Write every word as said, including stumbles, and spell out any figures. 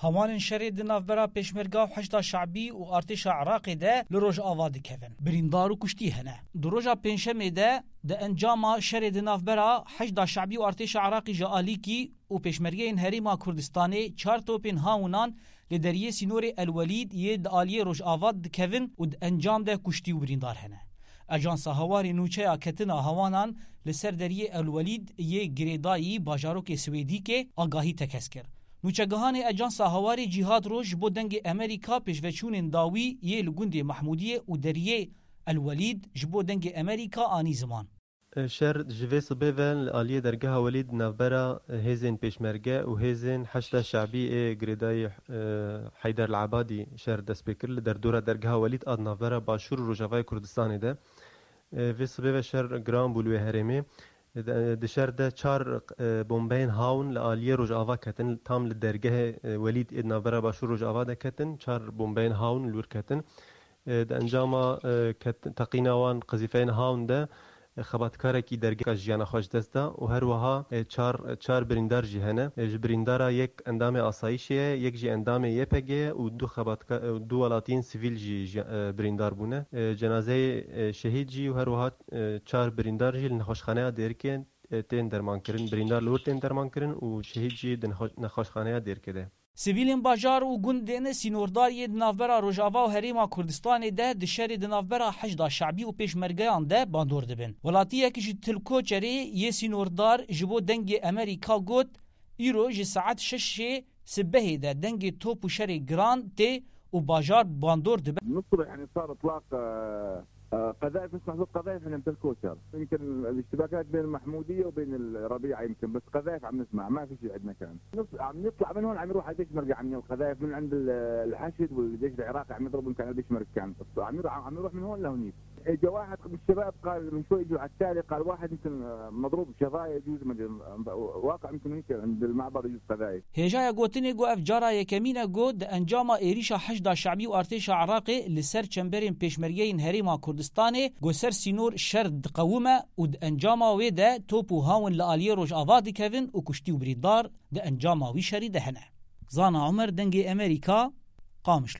Hewanên şerê di navbera Pêşmerga û Heşda Şabî û artêşa Iraqê de li Rojava dikevin. Birîndar û kuştî hene. Di roja Pêncşemê de di encama şerê di navbera Heşda Şabî û artêşa Iraqê ji alîkî û pêşmergeyên Herêma Kurdistanê çar topên hawnan li deriyê sînorê El Welîd yê di aliyê Rojava dikevin û di encam de kuştî û birîndar hene. Ajansa Hawarê nûçeya ketina hawanan li ser deriyê El Welîd yê girêdayî bajarokê Swêdîkê agahî tekez kir. Nûçegihanê Ajansa Hawarê Cîhad Roj ji bo Dengê Emerîka pêşveçûnên dawî yê li gundê Mahmûdiyê û deriyê El Welîd ji bo Dengê Emerîka anî ziman. Şer ji vê sibê ve li aliyê dergeha Welîd navbera hêzên pêşmerge û hêzên Heşda Şabî ê girêdayî, e, Heyder El Ebadî şer dest pê kir. Li derdora dergeha Welîd a di navbera Başûr û Rojavayê Kurdistanê de. E, vê sibê ve şer giran bû li wê herêmê. Di, di şer de çar, e, bombeyên hawn li aliyê Rojava ketin, tam li dergehê, e, Welîd ê di navbera Başûr Rojava de ketin, çar bombeyên hawn li wir ketin. E, di encama, e, ket-, teqîna wan qezîfeyên hawn de, e, xebatkarekî dergehê jiyana xwe ji dest da û her wiha, e, çar, çar birîndar jî hene. E, ji birîndara yek endamê asayîşê ye, yek jî endamê Y P G ye û du xebatka-, e, du welatiyên sivîl jî, jî, e, birîndar bûne. E, cenazeyê, e, şehîd jî û her wiha, e, çar birîndar jî li nexweşxaneya Dêrikê, e, tên dermankirin. Birîndar li wir tên dermankirin û şehîd jî di nexwe-, nexweşxaneya Dêrikê de. Sivîlên bajar û gundên sînordar yê di navbera Rojava û Herêma Kurdistanê de di şerê di navbera Heşda Şabî û pêşmergeyan de bandor dibin. Welatiyek ji Tilkoçerê yê sînordar ji bo Dengê Emerîka got, îro ji saet şeşê sibehê de dengê top û şerê giran tê û bajar bandor dibe. من الصبح يعني صار إطلاق، آه، آه، قذائف، نسمع صوت قذائف من أم تلكوشر. يمكن الاشتباكات بين المحمودية وبين الربيعة يمكن، بس قذائف عم نسمع، ما في شيء عندنا كان. نص-، عم نطلع من هون، عم يروح على البيشمركة، عم ينقل قذائف من عند ال-، الحشد والجيش العراقي، عم يضربهم كان على البيشمركة كان. عم يروح، عم يروح من هون لهونيك. إجا واحد من الشباب قال، من شوي إجوا على التالي، قال: "واحد يمكن مضروب شظايا، يجوز مدري، واقع يمكن هيك عند المعبر يجوز قذائف." Hêjaya gotinê got ev cara yekemîn e ku di encama êrîşa Heşda Şabî û artêşa Iraqê li ser çemberên pêşmergeyên Herêma Kurdistanê ku ser sînor şer diqewime û di encama wê de top û hawin li aliyê Rojava dikevin û kuştî û birîndar di encama wî şerî de hene. Zana Omer, Dengê Emerîka, Qamişlo.